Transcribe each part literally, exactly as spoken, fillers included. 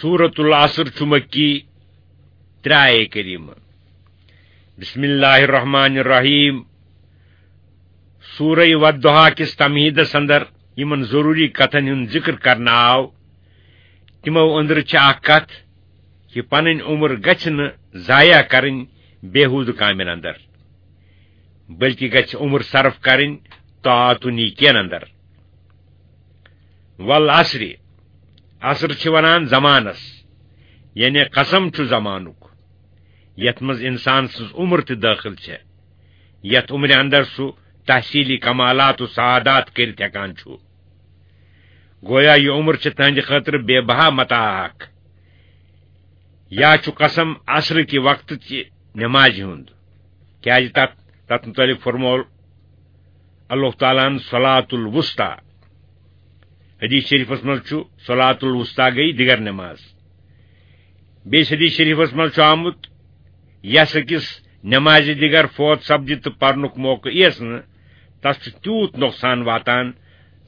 سورۃ العصر چھُ مکی، ترٛےٚ آیے کریمہ۔ بسم اللہ الرحمن الرحیم۔ سورہ والضحیٰ کِس تمہیدس اندر یِمن ضروری کتھن ہُنٛد ذکر کرنہٕ آو، تِمو أنٛدرٕ چھِ اکھ کتھ، یہِ پنٕنۍ عمر گژھِ نہٕ ضایع کرٕنۍ بیہودٕ کامٮ۪ن اندر، بلکہِ گژھِ عمر صرف کرٕنۍ طاعت و نیکین اندر۔ والعصر، عصر چھِ ونان زمانس، یعنی قسم چھُ زمانُک، یتھ منٛز انسان سٕنٛز عمر تہِ دٲخل چھےٚ، یتھ عمرِ اندر سُہ تحصیلی کمالات و سعادات کٔرِتھ ہٮ۪کان چھُ۔ گویا یہِ عمر چھِ تہنٛدِ خٲطرٕ بے بہا متاع اکھ۔ یا چھُ قسم عصر کہِ وقتہٕ چہِ نمازِ ہُنٛد، کیازِ تتھ، تتھ متعلق فرموو اللہ تعالیٰ ہن صلاۃ الوسطی۔ حدیث شریفس منٛز چھُ صلاۃ الوسطی گٔے دِگر نماز۔ بیٚیِس حدیث شریفس منٛز چھُ آمُت، یس أکِس نمازِ دِگر فوت سپدِ تہٕ پرنُک موقعہٕ یِیَس نہٕ، تس چھُ تیوٗت نۄقصان واتان،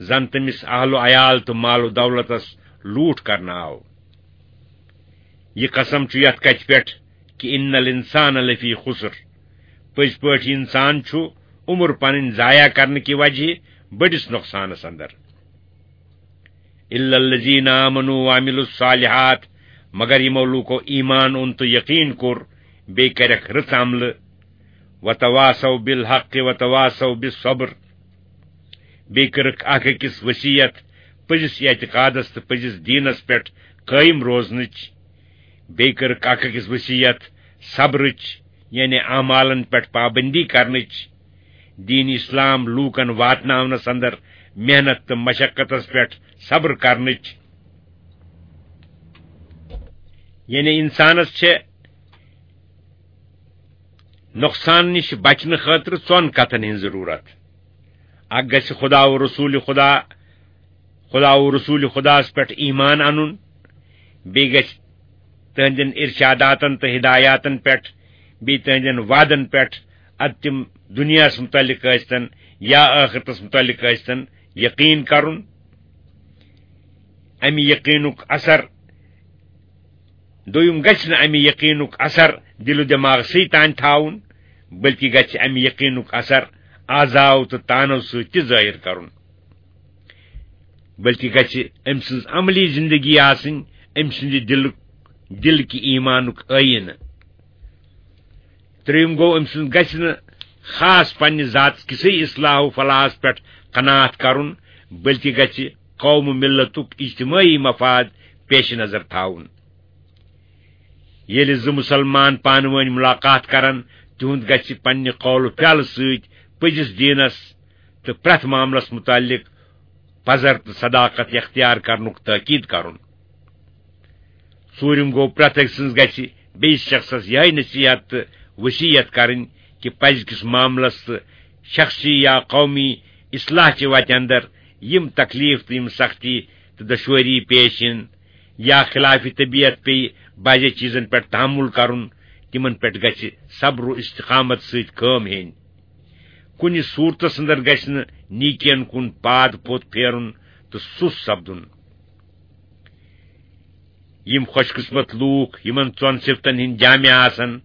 زن تٔمِس اہل و عیال تہٕ مال و دولتس لوٗٹھ کرنہٕ آو۔ یہِ قسم چھُ یتھ کتھِ پٮ۪ٹھ کہِ ان الانسان لفی خسر، پٔزۍ پٲٹھۍ انسان چھُ عمر پنٕنۍ ضایع کرنہٕ کہِ وجہ بٔڑِس نۄقصانس اندر۔ الا الذین آمنوا وعملوا الصالحات، مگر یِمو لوٗکو ایمان اوٚن تہٕ یقین کوٚر، بیٚیہِ کَرٮ۪کھ رٕژ عملہٕ، وتواصوا بالحق وتواصوا بالصبر، بیٚیہِ کٔرٕکھ اکھ أکِس وصیت پٔزِس اعتقادس تہٕ پٔزِس دیٖنس پٮ۪ٹھ قٲیِم روزنٕچ، بیٚیہِ کٔرٕکھ اکھ أکِس وصیت صبرٕچ، یعنی اعمالن پٮ۪ٹھ پابندی کرنٕچ، دین اسلام لوٗکن واتناونس اندر محنت تہٕ مشقتس پٮ۪ٹھ صبر کرنٕچ۔ یعنی انسانس چھِ نۄقصان نِش بچنہٕ خٲطرٕ ژۄن کتھن ہٕنٛز ضروٗرت۔ اکھ گژھِ خدا و رسول خدا، خدا و رسول خداس پٮ۪ٹھ ایمان انُن، بیٚیہِ گژھِ تہنٛدٮ۪ن ارشاداتن تہٕ ہدایاتن پٮ۪ٹھ، بیٚیہِ تہنٛدٮ۪ن وعدن پٮ۪ٹھ، ادٕ تِم دُنیاہس متعلق ٲسۍتن یا ٲخرتس متعلق ٲسۍتن، یقین کرُن۔ امہِ یقینُک اثر، دوٚیُم گژھِ نہٕ امہِ یقینُک اثر دل و دماغسٕے تام تھاوُن، بلکہِ گژھِ امہِ یقینُک اثر اعضاو تہٕ تانو سۭتۍ تہِ ظٲہر کرُن، بلکہِ گژھِ أمۍ سٕنٛز عملی زندگی آسٕنۍ أمۍ سٕنٛدِ دلُک، دل کہِ ایمانُک ٲیٖنہٕ۔ ترٛیٚیِم گوٚو، أمۍ سٕنٛز گژھِ نہٕ خاص پننہِ ذات کِسٕے اصلاح و فلاحس پٮ۪ٹھ قناعت کرُن، بلکہِ گژھِ قوم و ملتُک اجتمٲعی مفاد پیش نظر تھاوُن۔ ییٚلہِ زٕ مُسلمان پانہٕ وٲنۍ مُلاقات کرن، تِہُنٛد گژھِ پننہِ قول و فعلہٕ سۭتۍ پٔزِس دیٖنس تہٕ پرٛٮ۪تھ معاملس مُتعلق پزر تہٕ صداقت اختیار کرنُک تٲکید کرُن۔ ژوٗرِم گوٚو، پرٛٮ۪تھ أکۍ سٕنٛز گژھِ بیٚیِس شخصس یِہے نصیحت تہٕ وصیت کرٕنۍ کہِ پزِ کِس معاملس تہٕ شخصی یا قومی اصلاح چہِ وتہِ اندر یِم تکلیف تہٕ یِم سختی تہٕ دشوٲری پیش یِن یا خلاف طبیعت پیٚیہِ بعضے چیزن پٮ۪ٹھ تحمل کرُن، تِمن پٮ۪ٹھ گژھِ صبر و استقامت سۭتۍ کٲم ہیٚنۍ۔ کُنہِ صورتس اندر گژھِ نہٕ نیکین کُن پاد پوٚت پھیرُن تہٕ سُست سپدُن۔ یِم خوش قسمت لوٗکھ یِمن ژۄن صفتن ہٕنٛدۍ جامع آسن،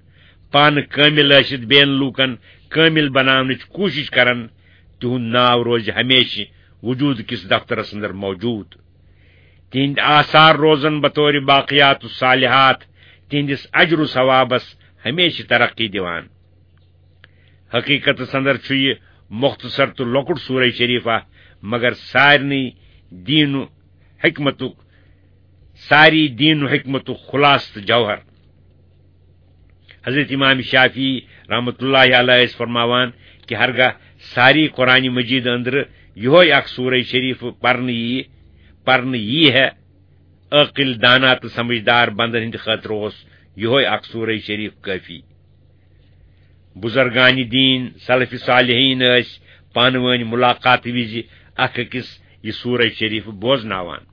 پانہٕ کٲمِل ٲسِتھ بیٚین لوٗکن کٲمِل بناونٕچ کوٗشش کرن، تِہُنٛد ناو روزِ ہمیشہٕ وجود کِس دفترس اندر موجود۔ تِہنٛدۍ آثار روزن بطور باقیات الصالحات تِہنٛدِس اجر و ثوابس ہمیشہٕ ترقی دِوان۔ حقیقتس اندر چھُ یہِ مختصر تہٕ لۄکُٹ سورہ شریفہ، مگر سارنٕے دین و حکمتُک، ساری دین و حکمتُک خلاصہٕ تہٕ جوہر۔ حضرت امام شافعی رحمۃ اللہ علیہ ٲسۍ فرماوان کہِ ہرگاہ ساری قرآن مجید اندرٕ یِہوے اکھ سورہ شریف پرنہٕ ییہِ، پرنہٕ ییہِ ہے، عٲقل، دانا تہٕ سمجھدار بندن ہٕنٛدِ خٲطرٕ اوس یِہوے اکھ سورہ شریف کٲفی۔ بزرگان دین، سلف صالحین ٲسۍ پانہٕ وٲنۍ ملاقات وِزِ اکھ أکِس یہِ سورہ شریف بوزناوان۔